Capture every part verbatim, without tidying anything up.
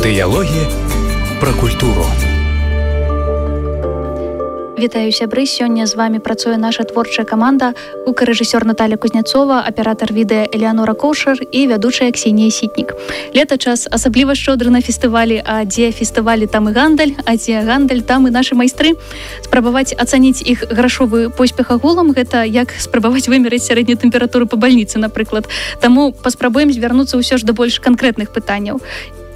Дыялогі пра культуру. Вітаю, сябры. Сёння з вами працуе наша творчая каманда, гукарэжысёр Наталья Кузнецова, аператар відэа Элеанора Коўшар і вядучая Ксенія Сітнік. Лета час асабліва шчодры на фестывалі, а дзе фестывалі, там і гандаль, а дзе гандаль, там і нашы майстры. Спрабаваць ацаніць іх грашовы поспех агулам, гэта як спрабаваць вымерыць сярэднюю тэмпературу па бальніцы, напрыклад. Таму паспрабуем звярнуцца ўсё ж да больш канкрэтных пытанняў.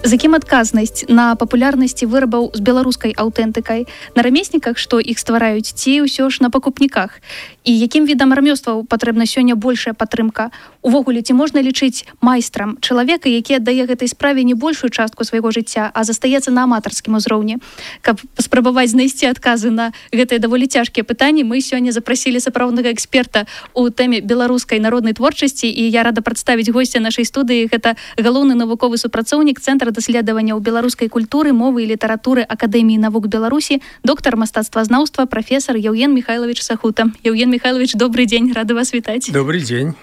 З якім адказнасць на папулярнасці вырабаў з беларускай аўтэнтыкай, на рамесніках, што іх ствараюць, ці ўсё ж на пакупніках? І якім відам рамёстваў патрэбна сёння большая падтрымка? Увогуле, ці можна лічыць майстрам чалавека, які аддае гэтай справе не большую частку свайго жыцця, а застаецца на аматарскім узроўні? Каб паспрабаваць знайсці адказы на гэтыя даволі цяжкія пытанні, мы сёння запрасілі сапраўднага эксперта ў тэме беларускай народнай творчасці, і я рада прадставіць госця нашай студыі. Гэта галоўны навуковы супрацоўнік Цэнтра даследаванняў беларускай культуры, мовы і літаратуры Акадэміі навук Беларусі, доктар мастацтвазнаўства, прафесар Яўген Михайлович Сахута. Яўген Михайлович, добрый дзень, рада вас вітаць. Добрый дзень.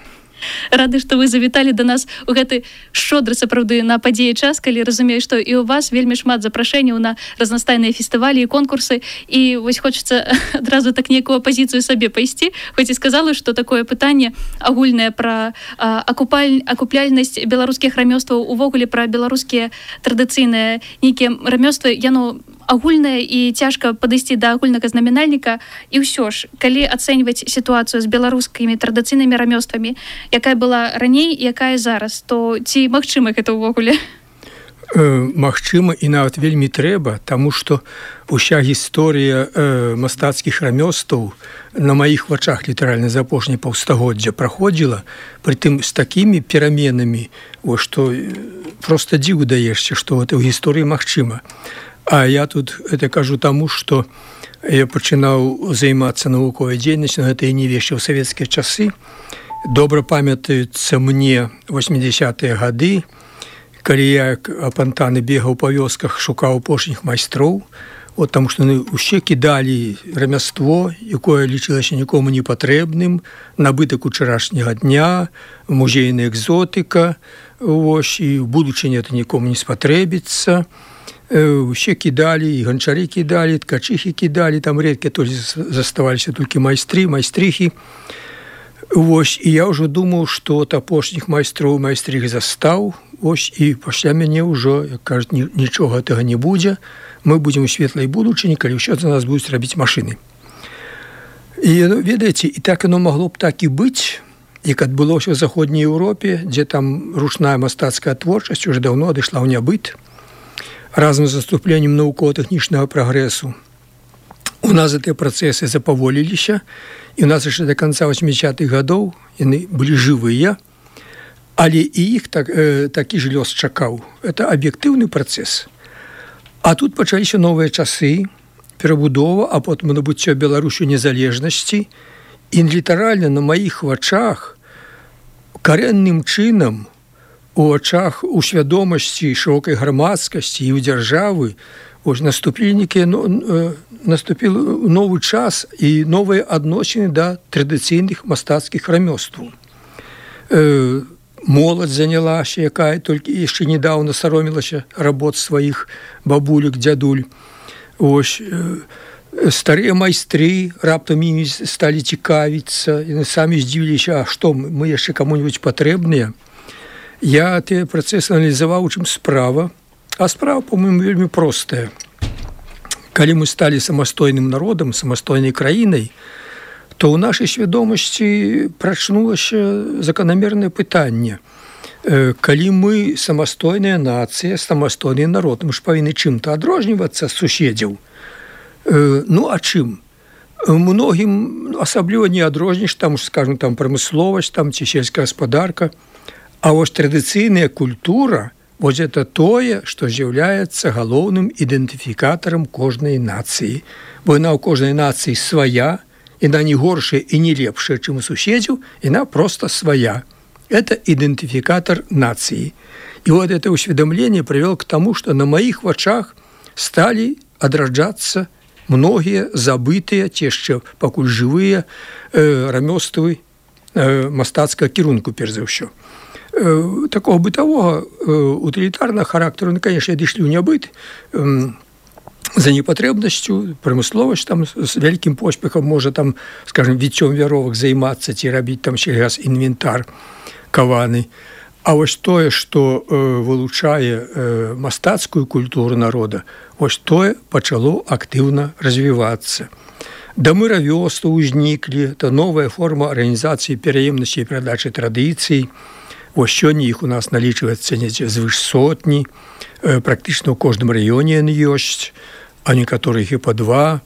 Рады, што вы завіталі да нас у гэты шчодры сапраўды на падзеі час, калі разумею, што і ў вас вельмі шмат запрашэнняў на разнастайныя фестывалі і конкурсы, і вось хочацца адразу так нейкую апазіцыю сабе пайсці. Хоць і сказала, што такое пытанне агульнае пра а, акупаль... акупляльнасць беларускіх рамёстваў, увогуле пра беларускія традыцыйныя нейкія рамёствы, яно агульнае і цяжка падысці да агульнага знаменальніка. І ўсё ж, калі ацэньваць сітуацыю з беларускімі традыцыйнымі рамёствамі, якая была раней, якая зараз, то ці магчыма гэта ўвогуле? Э, магчыма і нават вельмі трэба, таму што уся гісторыя э, мастацкіх рамёстваў на маіх вачах літаральна за апошняе паўстагоддзя праходзіла, прытым з такімі пераменамі, о, што проста дзіву даешся, што гэта ў гісторыі магчыма. А я тут это кажу таму, што я пачынаў займацца навуковай дзейнасцю, гэта і не яшчэ ў савецкія часы. Добра памятаюцца мне восьмідзясятыя гады, калі я як апантаны бегаў па вёсках, шукаў апошніх майстроў, от, таму што яны ўсе кідалі рамяство, якое лічылася нікому не патрэбным, набытак учарашняга дня, музейная экзотыка, ось, і ў будучыні это нікому не спатрэбіцца. Усе кідалі, і ганчары кідалі, ткачыхі кідалі, там рэдка толькі заставаліся толькі майстры, майстрыхі. Вось, і я ўжо думаў, што от апошніх майстроў майстрых застаў, ось, і пасля мяне ўжо, як кажуць, нічога гэтага не будзе. Мы будзем у светлай будучыні, калі ўсё за нас будуць рабіць машыны. І, ведаеце, і так яно магло б так і быць, як адбылося ў заходняй Еўропе, дзе там ручная мастацкая творчасць уже даўно адышла ў нябыт. Разам з наступленнем навукова-тэхнічнага прагрэсу у нас гэтыя працэсы запаволіліся, і у нас яшчэ да канца восьмідзясятых гадоў яны былі жывыя, але і іх так, э, такі ж лёс чакаў. Это аб'ектыўны працэс. А тут пачаліся новыя часы, перабудова, а потым набыццё Беларусю незалежнасці, і літаральна на маіх вачах карэнным чынам у очах, у свядомасці шырокай грамадскасці і ў дзяржавы ось наступілі нейкія, ну, наступіў новы час і новыя адносіны да традыцыйных мастацкіх рамёстваў. Э, моладзь занялася, якая толькі яшчэ недаўна саромілася работ сваіх бабулек, дзядуль. Ось, э, старыя майстры раптам імі сталі цікавіцца, яны самі здзівіліся, а што, мы яшчэ каму-нибудь патрэбныя? Я тыя працэсы аналізаваў, у чым справа. А справа, по-моему, вельмі простая. Калі мы сталі самастойным народам, самастойнай краінай, то ў нашай свядомасці прачнулася заканамернае пытанне. Калі мы самастойная нацыя, самастойны народ, мы ж павінны чым-то адрознівацца ад суседзяў. Ну, а чым? Многім асабліва не адрознішся, там, скажем, там прамысловасць, там ці сельская гаспадарка. А вось традыцыйная культура, вось это тое, што з'яўляецца галоўным ідэнтыфікатарам кожнай нацыі. Бо яна ў кожнай нацыі свая, яна не горшая і не лепшая, чым у суседзяў, яна проста свая. Это ідэнтыфікатар нацыі. І вот это усведомленне прывяло к таму, што на маіх вачах сталі адраджацца многія забытыя, ці яшчэ пакуль жывыя э, рамёствы э, мастацкага кірунку, перш за ўсё. э, такого бытового, э, утилитарного характера, ну, конечно, дышлі ў нябыт, э, за непатрэбнасцю, прамысловасць там з вялікім поспехам можа там, скажем, віццём вяровак займацца ці рабіць там сельгас інвентар каваны. А вось тое, што э, вылучае э, мастацкую культуру народа, вось тое пачало актыўна развівацца. Дамы равёстваў узніклі, это новая форма арганізацыі пераемнасці і перадачы традыцый. Вось сёння іх у нас налічваецца звыш сотні, э, практычна ў кожным раёне яны ёсць, а некаторых і па два.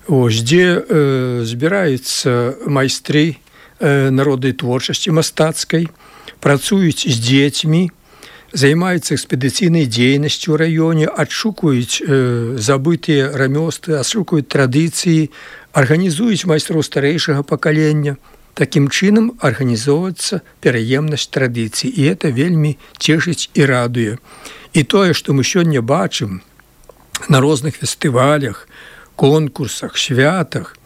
Ось, дзе э, збіраюцца майстры э, народнай творчасці мастацкай, працуюць з дзецьмі, займаюцца экспедыцыйнай дзейнасцю ў раёне, адшукаюць э, забытыя рамёствы, адшукаюць традыцыі, арганізуюць майстроў старэйшага пакалення. Такім чынам арганізоўваецца пераемнасць традыцый, і это вельмі цешыць і радуе. І тое, што мы сёння бачым на розных фестывалях, конкурсах, святах,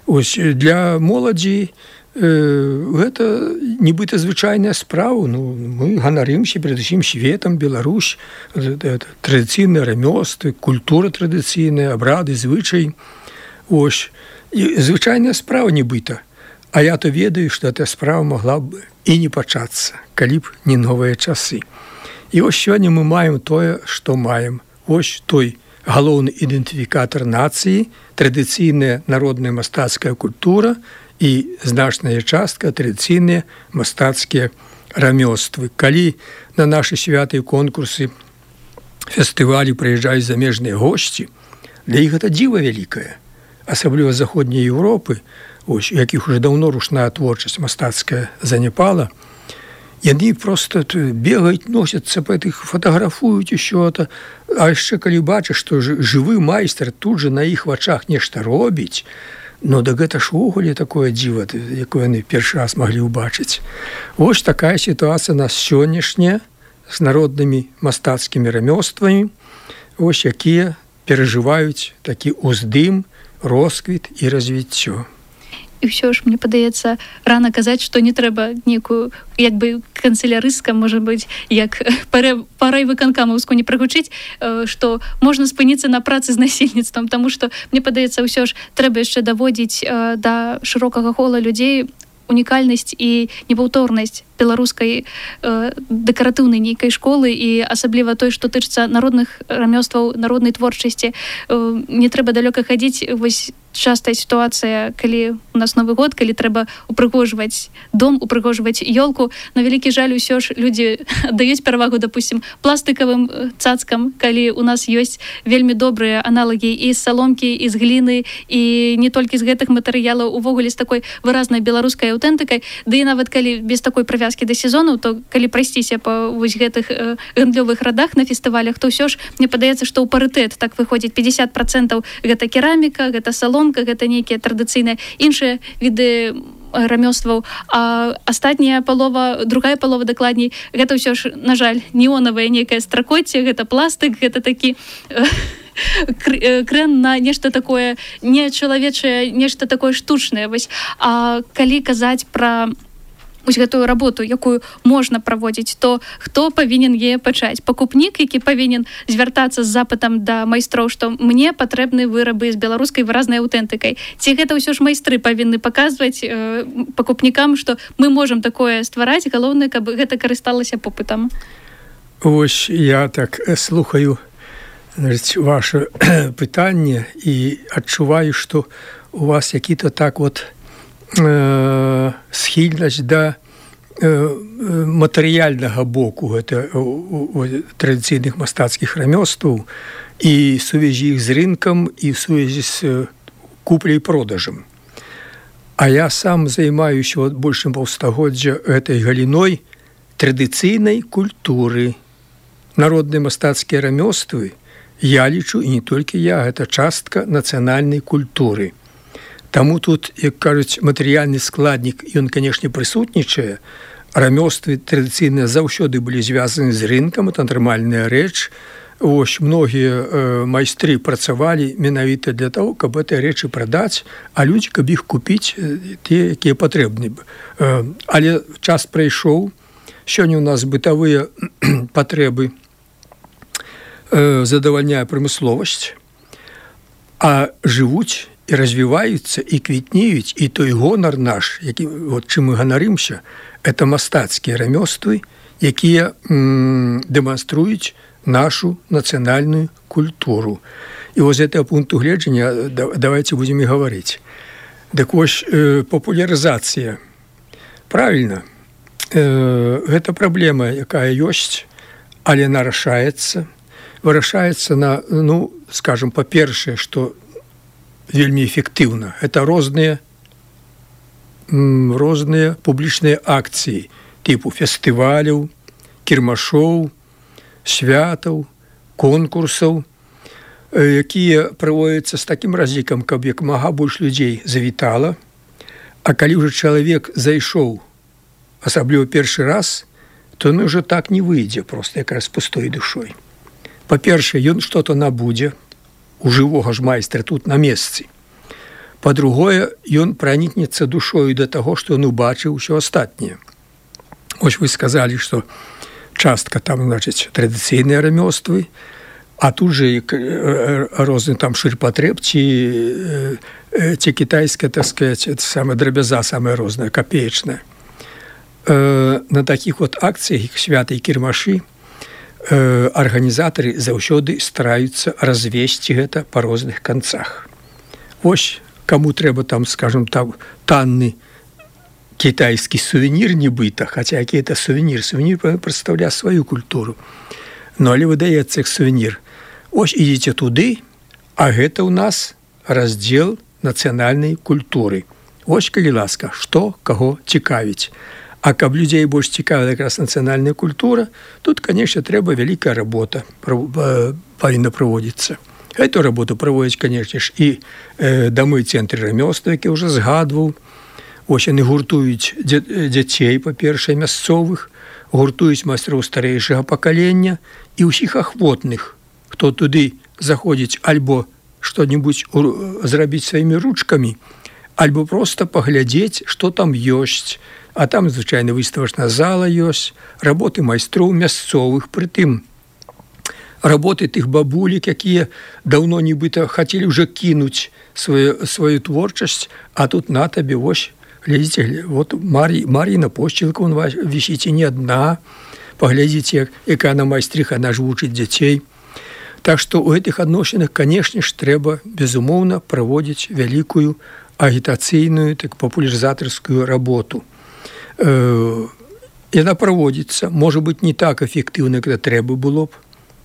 ось для моладзі э, гэта нібыта звычайная справа. Ну, мы ганарымся перад усім светам, Беларусь, традыцыйныя рамёствы, культура традыцыйная, абрады, звычай. Ось, і звычайная справа нібыта. А я то ведаю, што эта справа могла б і не пачацца, калі б не новыя часы. І ось сёння мы маем тое, што маем. Ось той галоўны ідэнтыфікатар нацыі, традыцыйная народная мастацкая культура і значная частка традыцыйныя мастацкія рамёствы. Калі на нашы святы і конкурсы, фестывалі прыязджаюць замежныя госці, для іх гэта дзіва вялікае, асабліва з заходняй Еўропы, ось, у якіх уже даўно ручная творчасць мастацкая заняпала, яны просто бегаюць, носяцца па тых, фатаграфуюць усё это, а яшчэ калі бачыш, што жывы майстар тут же на іх вачах нешта робіць, ну да гэта ж увогуле такое дзіва, якое яны першы раз маглі ўбачыць. Вось такая сітуацыя нас сённяшняя з народнымі мастацкімі рамёствамі, вось якія перажываюць такі ўздым, росквіт і развіццё. І ўсё ж, мне падаецца, рана казаць, што не трэба некую, як бы канцелярыстка, можа быць, як парай выканкамаўску не прагучыць, што можна спыніцца на працы з насельніцтвам, таму што, мне падаецца, ўсё ж трэба яшчэ даводзіць да шырокага кола людзей унікальнасць і непаўторнасць беларускай э, дэкаратыўнай нейкай школы, і асабліва той, што тычыцца народных рамёстваў, народнай творчасці. Э, не трэба далёка хадзіць. Вось частая сітуацыя, калі у нас Новы год, калі трэба упрыгожваць дом, упрыгожваць ёлку. На вялікі жаль, усё ж людзі аддаюць перавагу, допустим, пластыкавым цацкам, калі у нас ёсць вельмі добрыя аналагі і з саломкі, і з гліны, і не толькі з гэтых матэрыялаў, увогуле з такой выразнай беларускай аўтэнтыкай. Да і нават калі без такой прывязкі да сезону, то калі прайсціся па вось гэтых э, гандлёвых радах на фестывалях, то ўсё ж мне падаецца, што ў парытэт так выходзіць пятьдесят процентов гэта кераміка, гэта саломка, гэта нейкія традыцыйныя іншыя віды рамёстваў, а астатняя палова, другая палова дакладней, гэта ўсё ж, на жаль, неонавая нейкая стракоцце, гэта пластык, гэта такі э, крэн на нешта такое нечалавечае, нешта такое штучнае. Вось. А калі казаць пра вось гэтую работу, якую можна праводзіць, то хто павінен яе пачаць? Пакупнік, які павінен звяртацца з запытам да майстроў, што мне патрэбны вырабы з беларускай выразнай аўтэнтыкай. Ці гэта ўсё ж майстры павінны паказваць э, пакупнікам, што мы можам такое ствараць, галоўнае, каб гэта карысталася попытам. Вось я так слухаю, значит, ваше пытанне і адчуваю, што у вас які-то так вот э, схільнасць да э, матэрыяльнага боку гэта традыцыйных мастацкіх рамёстваў і сувязі іх з рынкам і сувязі з купляй і продажам. А я сам займаюся большым паўстагоддзя гэтай галіной традыцыйнай культуры. Народныя мастацкія рамёствы, я лічу, і не толькі я, гэта частка нацыянальнай культуры. Таму тут, як кажуць, матэрыяльны складнік, ён, канешне, прысутнічае. Рамёствы традыцыйныя заўсёды былі звязаны з рынкам, это нармальная рэч. Вось, многія э, майстры працавалі менавіта для таго, каб гэтыя рэчы прадаць, а людзі, каб іх купіць, э, тыя, якія патрэбны. Э, але час прайшоў, Сёння у нас бытавыя патрэбы э, задавальняе прамысловасць, а жывуць і развіваюцца і квітнеюць, і той гонар наш, які, вот, чым мы ганарымся, это мастацкія рамёствы, якія м, дэманструюць нашу нацыянальную культуру. І вось з гэтага пункту гледжання давайте будзем і гаварыць. Дык вось э, папулярызацыя. Правільна, э, гэта праблема, якая ёсць, але яна рашаецца. Вырашаецца на, ну, скажем, па-першае, што вельмі эфектыўна. Это розныя, м, розныя публічныя акцыі типу фестываляў, кірмашоў, святаў, конкурсаў, якія праводзяцца з такім разлікам, каб як мага больш людзей завітала. А калі ўжо чалавек зайшоў, асабліва першы раз, то ён ўжо так не выйдзе проста якраз пустой душой. Па-першае, ён што-то набудзе у жывога ж майстра тут на месцы. Па-другое, ён пранікнецца душою да таго, што ён убачыў усё астатняе. Ось вы сказалі, што частка там, значыць, традыцыйныя рамёствы, а тут же розны там шырпатрэб ці, ці кітайская, так сказать, самая драбяза, самая розная, капеечная. На такіх вот акцыях, святы і кірмашы, арганізатары заўсёды стараюцца развесці гэта па розных канцах. Вось, каму трэба там, скажем, там танны кітайскі сувенір нібыта, хаця які это сувенір, сувенір прадстаўляе сваю культуру. Ну, але выдаецца іх сувенір. Ось ідзіце туды, а гэта ў нас раздзел нацыянальнай культуры. Вось, калі ласка, што каго цікавіць. А каб людзей больш цікавіла якраз нацыянальная культура, тут, конечно, трэба вялікая работа павінна праводзіцца. Эту работу праводзяць, конечно ж, і э, дамы цэнтры рамёстваў, які ўжо згадваў. Ось яны гуртуюць дзяцей, па-першае, мясцовых, гуртуюць майстроў старэйшага пакалення і ўсіх ахвотных, хто туды заходзіць альбо што-небудзь зрабіць сваімі ручкамі, альбо проста паглядзець, што там ёсць. А там, звычайна, выставачная зала ёсць, работы майстроў мясцовых, прытым работы тых бабулек, якія даўно нібыта хацелі ўжо кінуць сваю, сваю творчасць, а тут на табе, вось, глядзіце, вот Мар'і, Мар'іна Пошчылка, он вісіць і не адна, паглядзіце, якая она майстрыха, она ж вучыць дзяцей. Так што ў гэтых адносінах, канешне ж, трэба, безумоўна, праводзіць вялікую агітацыйную, так, папулярызатарскую работу. Яна праводзіцца, можа быць, не так эфектыўна, як трэба было б.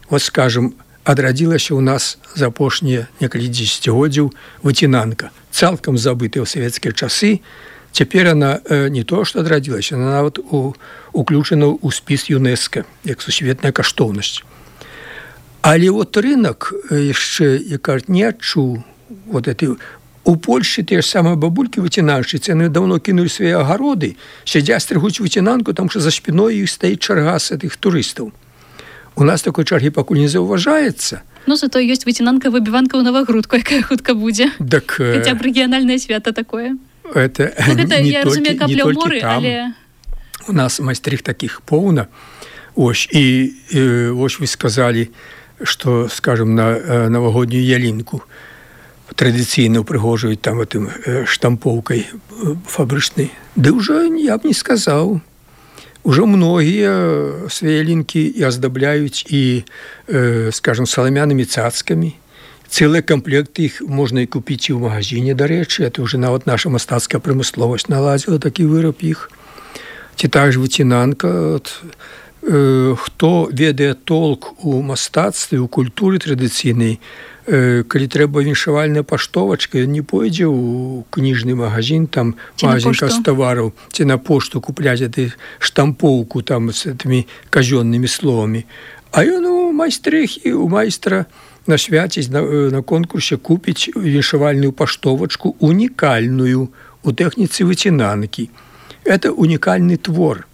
Вот, скажем, адрадзілася ў нас за апошнія некалькі дзесяцігоддзяў выцінанка, цалкам забытая ў савецкія часы. Цяпер яна не то, што адрадзілася, яна нават у, уключана ў спіс ЮНЕСКО, як сусветная каштоўнасць. Але вот рынок яшчэ, як кажуць, не адчуў вот этой. У Польшчы тыя ж самыя бабулькі выцінальшчыцы, яны даўно кінулі свае агароды, сядзяць, стрыгуць выцінанку, там што за спіной іх стаіць чарга з гэтых турыстаў. У нас такой чаргі пакуль не заўважаецца. Ну, зато ёсць выцінанка-выбіванка ў Навагрудку, якая хутка будзе. Так, хаця б рэгіянальнае свята такое. Это, ну, гэта, не, я толькі, разумею, не толькі моры, там. Але... У нас майстрых такіх поўна. Ось, і, і ось вы сказалі, што, скажем, на навагоднюю ялінку традыцыйна ўпрыгожваюць там этим штампоўкай фабрычнай. Ды ўжо я б не сказаў. Ужо многія свае ялінкі і аздабляюць і, э, скажем, саламянымі цацкамі. Цэлыя комплекты іх можна і купіць і ў магазине, дарэчы. Это ўжо нават наша мастацкая прамысловасць наладзіла такі выраб іх. Ці так ж выцінанка. От, э, хто ведае толк у мастацтве, у культуры традыцыйнай, калі трэба віншавальная паштовачка, не пойдзе ў кніжны магазин, там магазин кастовараў, ці на пошту купляць этой штампоўку там с этими казённымі словамі. А ён у майстрыхі, у майстра на свяце, на, на конкурсе купіць віншавальную паштовачку унікальную у тэхніцы выцінанкі. Это унікальны твор.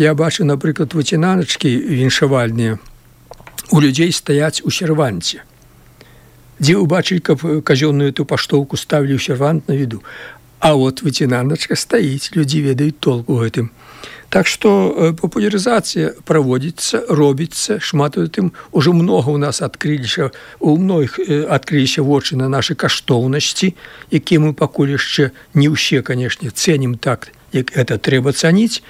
Я бачу, напрыклад, выцінаначкі віншавальныя у людзей стаяць у серванце. Дзе убачылі, каб казённую эту паштоўку ставілі ў сервант на віду. А вот выцінаначка стаіць, людзі ведаюць толк у гэтым. Так што папулярызацыя праводзіцца, робіцца, шмат у тым ужо многа ў нас адкрыліся, у многіх адкрыліся вочы на нашы каштоўнасці, якія мы пакуль яшчэ не ўсе, канешне, цэнім так, як гэта трэба цаніць,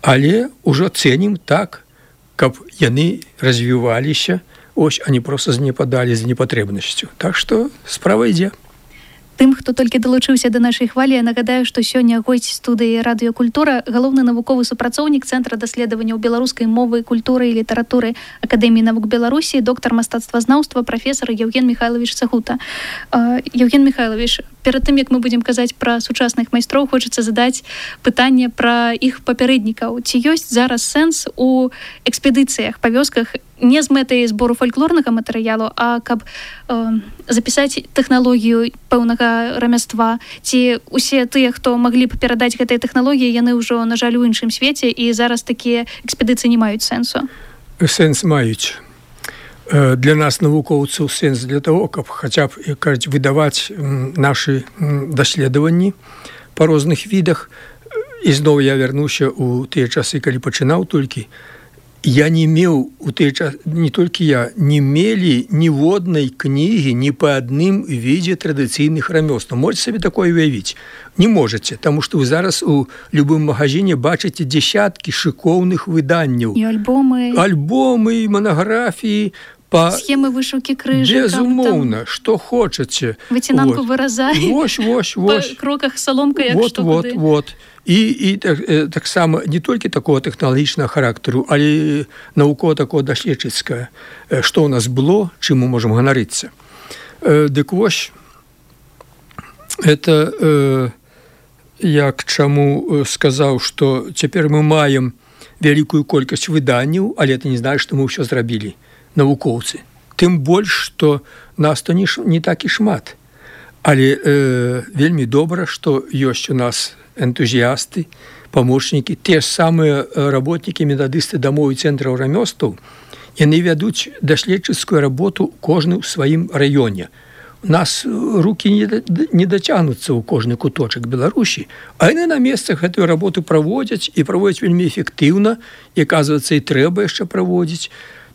але ўжо цэнім так, каб яны развіваліся, ось, а не проста занепадалі з непатрэбнасцю. Так што справа ідзе. Тым, хто толькі далучыўся да нашай хвалі, я нагадаю, што сёння госць студыі радыёкультура, галоўны навуковы супрацоўнік Цэнтра даследаванняў беларускай мовы, культуры і літаратуры Акадэміі навук Беларусі, доктар мастацтвазнаўства, прафесар Евген Михайлович Сагута. Евген Михайлович, перад тым, як мы будзем казаць пра сучасных майстроў, хочацца задаць пытанне пра іх папярэднікаў. Ці ёсць зараз сэнс у экспедыцыях па вёсках не з мэтай збору фальклорнага матэрыялу, а каб э, запісаць тэхналогію пэўнага рамяства, ці усе тыя, хто маглі б перадаць гэтыя тэхналогіі, яны ўжо, на жаль, у іншым свеце, і зараз такія экспедыцыі не маюць сэнсу? Сэнс маюць. Для нас, навукоўцаў, сэнс для того, каб хаця б, кажуць, выдаваць нашы даследаванні па розных відах. І зноў я вярнуся ў тыя часы, калі пачынаў толькі. Я не меў у той час, не толькі я, не мелі ніводнай кнігі ні па адным відзе традыцыйных рамёстваў. Можете сабе такое уявіць? Не можаце, таму што вы зараз у любым магазине бачыце дзесяткі шыкоўных выданняў. І альбомы. Альбомы, манаграфіі, па... схемы вышыўкі крыжыкам. Безумоўна, што хочаце. Выцінанку вот. выразалі. Вось, вось, вось. Па кроках саломка, як вот, што вот, куды. Вот. І, і так, таксама не толькі такого тэхналагічнага характару, але навукова такого даследчыцкага, што ў нас было, чым мы можам ганарыцца. Дык вось, это як чаму сказаў, што цяпер мы маем вялікую колькасць выданняў, але это не знаю, што мы ўсё зрабілі, навукоўцы. Тым больш, што нас то не, не так і шмат. Але э, вельмі добра, што ёсць у нас энтузіасты, памочнікі, те ж самыя работнікі, метадысты дамоў і цэнтраў рамёстваў, яны вядуць даследчыцкую работу кожны ў сваім раёне. У нас рукі не, не дацягнуцца ў кожны куточак Беларусі, а яны на месцах гэтую работу праводзяць і праводзяць вельмі эфектыўна, і, аказваецца, і трэба яшчэ праводзіць.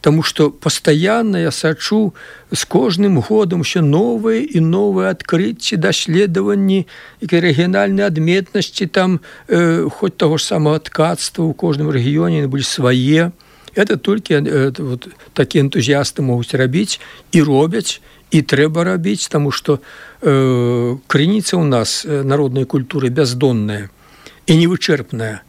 Таму што пастаянна я сачу з кожным годам ўсё новыя і новыя адкрыцці, даследаванні, якія рэгіянальныя адметнасці, там э, хоць таго ж самага ткацтва ў кожным рэгіёне былі свае. Это толькі э, вот, такія энтузіасты могуць рабіць і робяць, і трэба рабіць, таму што э, крыніца ў нас народнай культуры бяздонная і невычэрпная.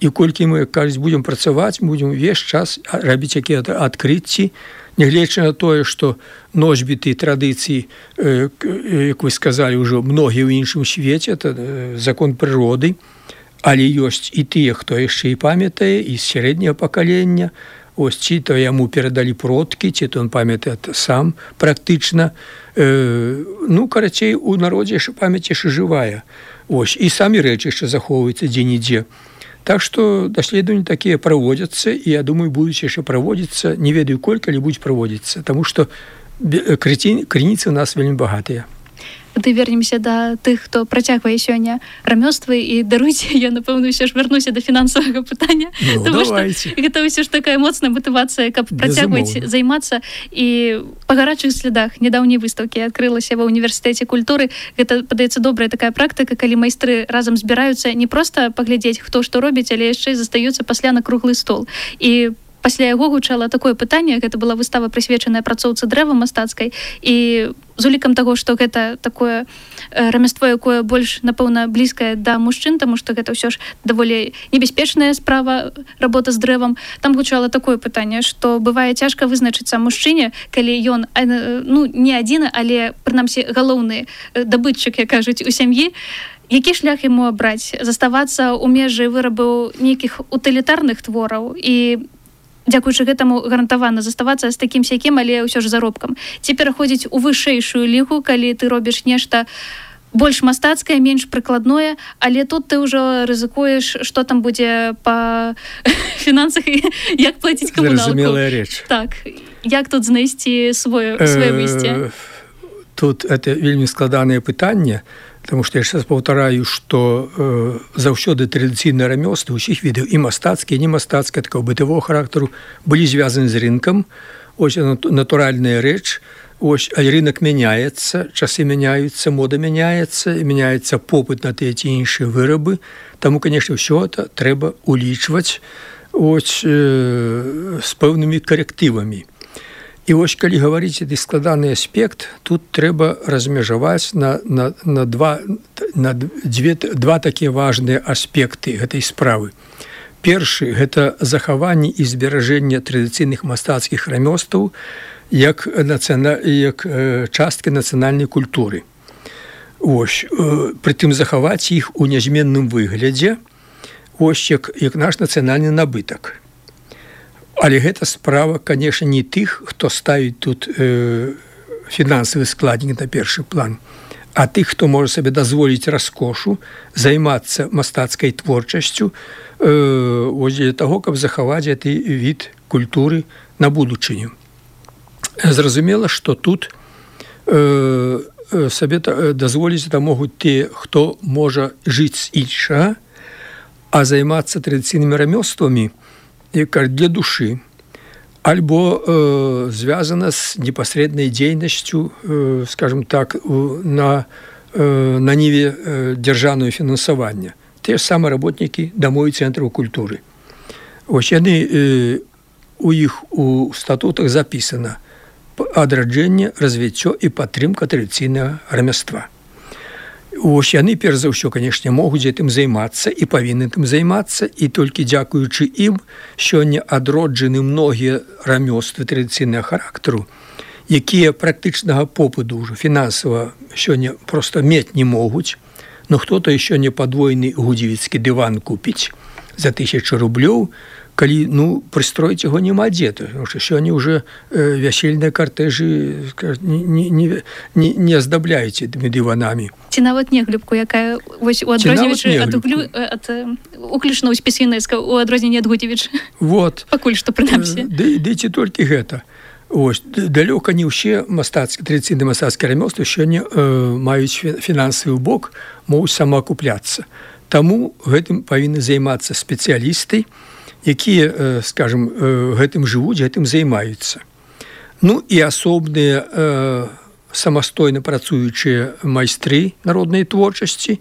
І колькі мы, кажуць, будзем працаваць, будзем увесь час рабіць якія адкрыцці, нягледзячы на тое, што носьбіты традыцыі, э, як вы сказалі, ўжо многія ў іншым свеце, это э, закон прыроды, але ёсць і тыя, хто яшчэ і памятае, і з сярэдняга пакалення, ось ці то яму перадалі продкі, ці то он памятае сам практычна. Э, ну, карацей, у народзе яшчэ памяць яшчэ жывая. Ось, і самі рэчы яшчэ захоўваюцца дзе-нідзе. Так што даследаванні такія праводзяцца, і, я думаю, будуць яшчэ праводзіцца, не ведаю колькі, але будуць праводзіцца, таму што крыніцы ў нас вельмі багатыя. Ты вернемся да тых, хто працягвае сёння рамёствы, і даруйце, я, напэўна, ўсё ж вярнуся да фінансавага пытання. Ну, давайте. Гэта ўсё ж такая моцная матывацыя, каб працягваць займацца. І па гарачых слядах нядаўняй выстаўкі адкрылася ва ўніверсітэце культуры. Гэта, падаецца, добрая такая практыка, калі майстры разам збіраюцца не проста паглядзець, хто што робіць, але яшчэ застаюцца пасля на круглы стол. І пасля яго гучала такое пытанне, гэта была выстава, прысвечаная працоўцы дрэва мастацкай, і з улікам таго, што гэта такое рамяство, якое больш, напэўна, блізкае да мужчын, таму што гэта ўсё ж даволі небяспечная справа, работа з дрэвам. Там гучала такое пытанне, што бывае цяжка вызначыцца мужчыне, калі ён, ну, не адзін, але, прынамсі, галоўны дабытчык, як кажуць, у сям'і. Які шлях яму абраць? Заставацца ў межы вырабу нейкіх утылітарных твораў і дзякуючы гэтаму гарантавана заставацца з такім сякім, але ўсё ж заробкам. Ці пераходзіць у вышэйшую лігу, калі ты робіш нешта больш мастацкае, менш прыкладное, але тут ты ўжо рызыкуеш, што там будзе па фінансах і як плаціць камуналку. Зразумелая рэч. Так. Як тут знайсці свое, свое выйсце? Тут это вельмі складанае пытанне. Таму што я яшчэ раз паўтараю, што э, заўсёды традыцыйныя рамёствы ўсіх відаў і мастацкія, і не мастацкія, такого бытавого характару былі звязаны з рынкам. Ось натуральная рэч. Ось, а рынок мяняецца, часы мяняюцца, мода мяняецца, мяняецца попыт на тыя ці іншыя вырабы. Таму, канешне, ўсё это трэба улічваць ось, э, з пэўнымі карэктывамі. І вось, калі гаварыць гэты складаны аспект, тут трэба размежаваць на, на, на, два, на дзве, два такія важныя аспекты гэтай справы. Першы – гэта захаванне і зберажэнне традыцыйных мастацкіх рамёстваў як, нацыяна... як э, часткі нацыянальнай культуры. Ось, э, прытым захаваць іх у нязменным выглядзе, ось як, як наш нацыянальны набытак. Але гэта справа, конечно, не тых, хто ставіць тут э, фінансавы складнік на першы план, а тых, хто можа сабе дазволіць раскошу, займацца мастацкай творчасцю э, ось для таго, каб захаваць гэты від культуры на будучыню. Зразумела, што тут э, сабе дазволіць это могуць те, хто можа жыць з іншага, а займацца традыцыйнымі рамёствамі для души, альбо э, звязана с непосредной деятельностью, э, скажем так, на, э, на ниве э, державного финансования. Те же самые работники домов и центров культуры. Ось яны, э, у их у статутах записано адраджэнне, развіццё і падтрымка традыцыйнага рамяства. Ось яны, перш за ўсё, канешне, могуць гэтым займацца і павінны тым займацца, і толькі дзякуючы ім сёння адроджаны многія рамёствы традыцыйнага характару, якія практычнага попыту ўжо фінансава сёння проста мець не могуць, но хто-то сёння падвойны гудзівіцкі дыван купіць за тысячу рублёў, калі, ну, прыстроіць яго няма дзе, тому што сёння ўжо э, вясельныя картэжы не, не, не, не аздабляюць гэтымі дыванамі. Ці нават неглюбку, якая вось у адрозніваючы ад, углю, ад уключна ў спісвінэцка, у адрозненне ад Гудзевіч. Вот. Пакуль што, прынамсі. Ды, ды ці толькі гэта. Ось, далёка не ўсе мастацкія, традыцыйныя мастацкія рамёствы сёння э, маюць фінансавы бок, могуць самаакупляцца. Таму гэтым павінны займацца спецыялісты, якія, скажем, гэтым жывуць, гэтым займаюцца. Ну і асобныя э, самастойна працуючыя майстры народнай творчасці,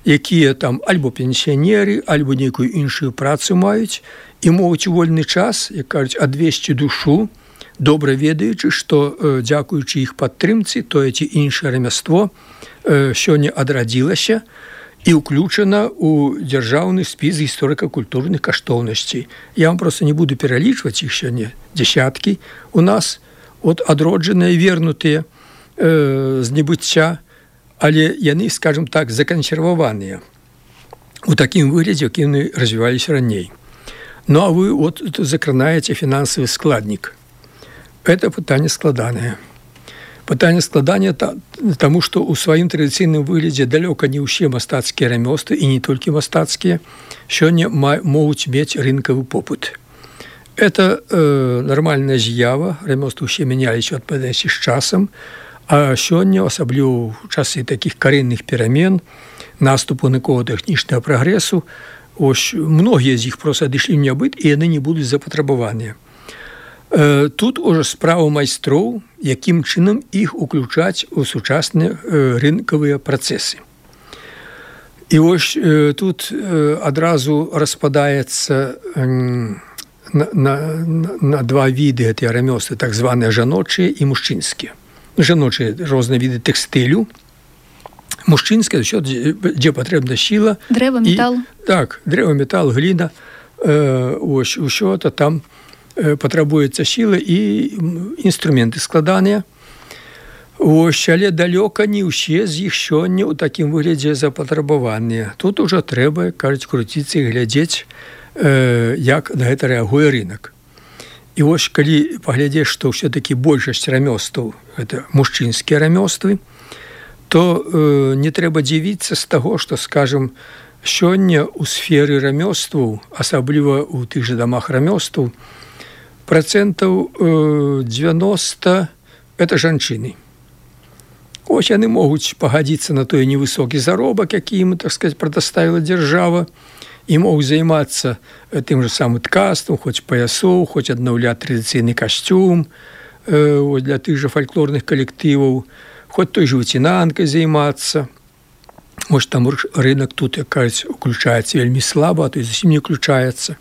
якія там альбо пенсіянеры, альбо нейкую іншую працу маюць і могуць у вольны час, як кажуць, адвесці душу, добра ведаючы, што э, дзякуючы іх падтрымцы, тое ці іншае рамяство э, сёння адрадзілася і ўключана ў дзяржаўны спіс гісторыка-культурных каштоўнасцей. Я вам просто не буду пералічваць іх сёння, дзясяткі у нас, от адроджаныя, вернутыя э, з небыцця, але яны, скажем так, закансерваваныя у такім выглядзе, якім яны развіваліся раней. Ну, а вы от закранаеце фінансавы складнік. Это пытанне складанае. Пытанне складання таму, што ў сваім традыцыйным выглядзе далёка не ўсе мастацкія рамёствы і не толькі мастацкія сёння могуць мець рынкавы попыт. Это э, нармальная з'ява, рамёствы ўсе мяняліся ў адпаведнасці з часам, а сёння, асабліва ў часы такіх карэнных перамен, наступу навукова-тэхнічнага прагрэсу, ось многія з іх проста адышлі ў нябыт, і яны не будуць запатрабаваныя. Тут уже справа майстроў, якім чынам іх уключаць у сучасныя рынкавыя працэсы. І вось тут адразу распадаецца на, на, на два віды гэтыя рамёствы, так званыя жаночыя і мужчынскія. Жаночыя розныя віды тэкстылю, мужчынскія, ўсё, дзе патрэбна сіла. Дрэва, метал. І, так, дрэва, метал, гліна, ось, усё это там патрабуецца сіла і інструменты складаныя. Ось, але далёка не ўсе з іх сёння ў такім выглядзе запатрабаваныя. Тут ужо трэба, кажуць, круціцца і глядзець, э, як на гэта рэагуе рынок. І вось, калі паглядзець, што ўсё-такі большасць рамёстваў гэта мужчынскія рамёствы, то э, не трэба дзівіцца з таго, што, скажем, сёння ў сферы рамёстваў, асабліва ў тых жа дамах рамёстваў, процентаў девяносто это жанчыны. Вось яны могуць пагадзіцца на той невысокі заробак, які ім, так сказать, прадаставіла дзяржава, і могуць займацца тым же самым ткацтвам, хоць паясоў, хоць аднаўляць традыцыйны касцюм э, для тых же фальклорных калектываў, хоць той же выцінанкай займацца. Вось там рынок тут, як кажуць, уключаецца вельмі слаба, а то і зусім не уключаецца.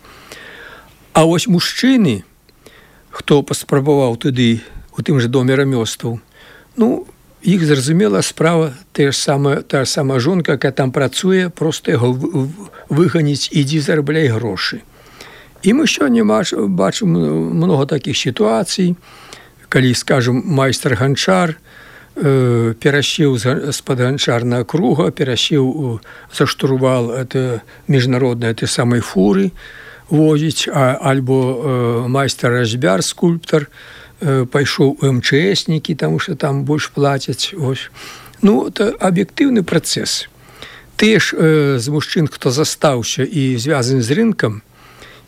А вось мужчыны, хто паспрабаваў туды, у тым же доме рамёстваў, ну, іх, зразумела, справа та ж самая, та ж самая жонка, якая там працуе, проста яго выганіць, ідзі зарабляй грошы. І мы сёння бачым многа такіх сітуацый, калі, скажем, майстар-ганчар э, перасеў з-пад ганчарнага круга, перасеў за штурвал это міжнароднай этой самай фуры возіць, а, альбо э, майстар-разьбяр, скульптар, э, пайшоў у эм чэ эснікі, таму што там больш плацяць. Ось. Ну, это аб'ектыўны працэс. Тыя ж э, з мужчын, хто застаўся і звязаны з рынкам,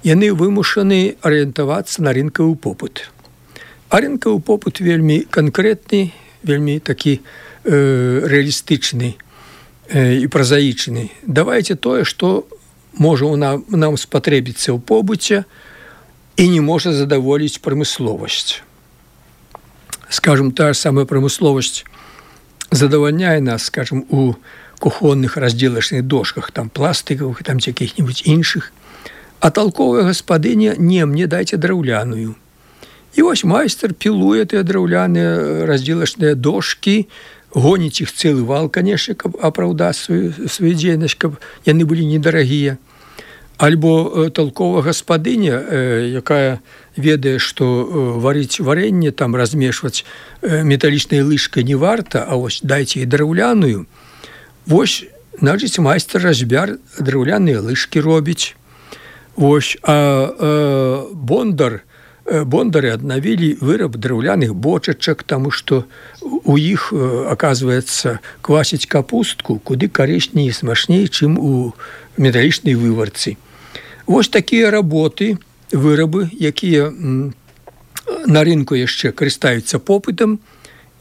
яны вымушаны арыентавацца на рынкавы попыт. А рынкавы попыт вельмі канкрэтны, вельмі такі э, рэалістычны э, і празаічны. Давайце тое, што можа нам, нам спатрэбіцца ў побыце і не можа задаволіць прамысловасць. Скажем, та ж самая прамысловасць задавальняе нас, скажем, у кухонных раздзелачных дошках, там пластыкавых, там якіх-небудзь іншых. А толковая гаспадыня: не, мне дайце драўляную. І вось майстар пілуе тыя драўляныя раздзелачныя дошкі, гоніць іх цэлы вал, канешне, каб апраўдаць сваю, сваю дзейнасць, каб яны былі недарагія. Альбо толковая гаспадыня, э, якая ведае, што э, варыць варэнне, там размешваць э, металічнай лыжкай не варта, а вось дайце і драўляную. Вось, значыць, майстар-разьбяр драўляныя лыжкі робіць. Вось, а э, бондар, э, бондары аднавілі выраб драўляных бочачак, таму што у іх, э, аказваецца, квасіць капустку куды карысней і смачней, чым у металічнай выварцы. Вось такія работы, вырабы, якія м, на рынку яшчэ карыстаюцца попытам,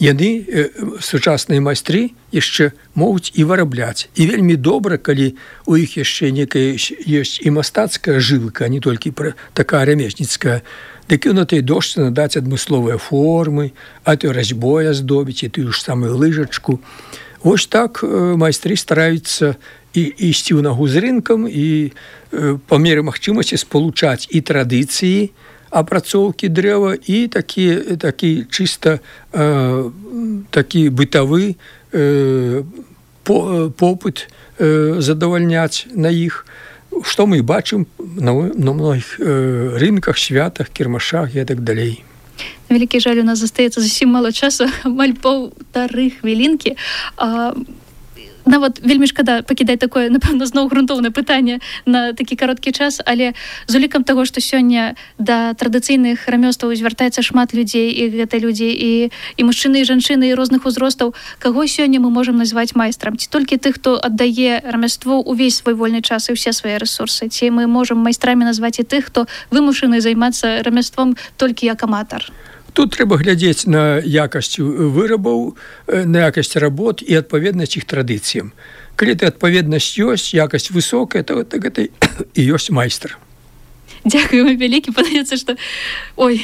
яны, э, сучасныя майстры, яшчэ могуць і вырабляць. І вельмі добра, калі у іх яшчэ некая ёсць і мастацкая жылка, а не толькі такая рамесніцкая, дык на той дошцы надаць адмысловыя формы, а то разьбой аздобіць, і тую ж самую лыжачку. Вось так э, майстры стараюцца і ісці ў нагу з рынкам і э, па меры магчымасці спалучаць і традыцыі апрацоўкі дрэва і такі, такі чыста э, такі бытавы э, по, попыт э, задавальняць на іх, што мы бачым на, на многіх э, рынках, святах, кірмашах і так далей. На вялікі жаль, у нас застаецца зусім мала часу, амаль паўтары хвілінкі. А, нават вельмі шкада пакідаць такое, напэўна, зноў грунтоўнае пытанне на такі кароткі час, але з улікам таго, што сёння да традыцыйных рамёстваў звяртаецца шмат людзей, і гэта людзі і, і мужчыны, і жанчыны, і розных узростаў, каго сёння мы можам назваць майстрам? Ці толькі тых, хто аддае рамяство ўвесь свой вольны час і ўсе свае рэсурсы? Ці мы можам майстрамі назваць і тых, хто вымушаны займацца рамяством толькі як аматар? Тут трэба глядзець на якасць вырабаў, на якасць работ і адпаведнасць іх традыцыям. Калі ты адпаведнасць ёсць, якасць высокая, то гэта і ёсць майстар. Дзякую вам вялікі, падаецца, што... Ой,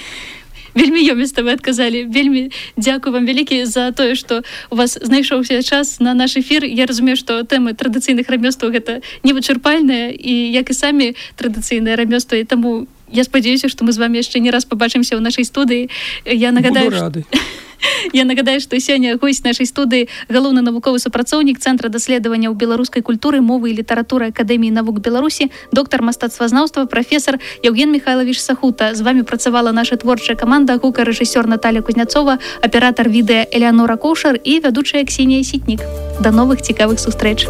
вельмі ёміста вы адказалі. Вельмі дзякую вам вялікі за тое, што у вас знайшоўся час на наш эфір. Я разумею, што тэмы традыцыйных рамёстваў гэта невычарпальная, і як і самі традыцыйныя рамёствы, і таму я спадзяюся, што мы з вами яшчэ не раз пабачымся ў нашай студыі. Я нагадаю, буду рады. Я нагадаю, што сёння госць нашай студыі галоўны навуковы супрацоўнік Цэнтра даследаванняў беларускай культуры, мовы і літаратуры Акадэміі навук Беларусі, доктар мастацтвазнаўства, прафесар Яўген Михайлович Сахута. З вами працавала наша творчая каманда, гукарэжысёр Наталья Кузнецова, аператар відэа Элеанора Коўшар і вядучая Ксенія Сітнік. Да новых цікавых сустрэч!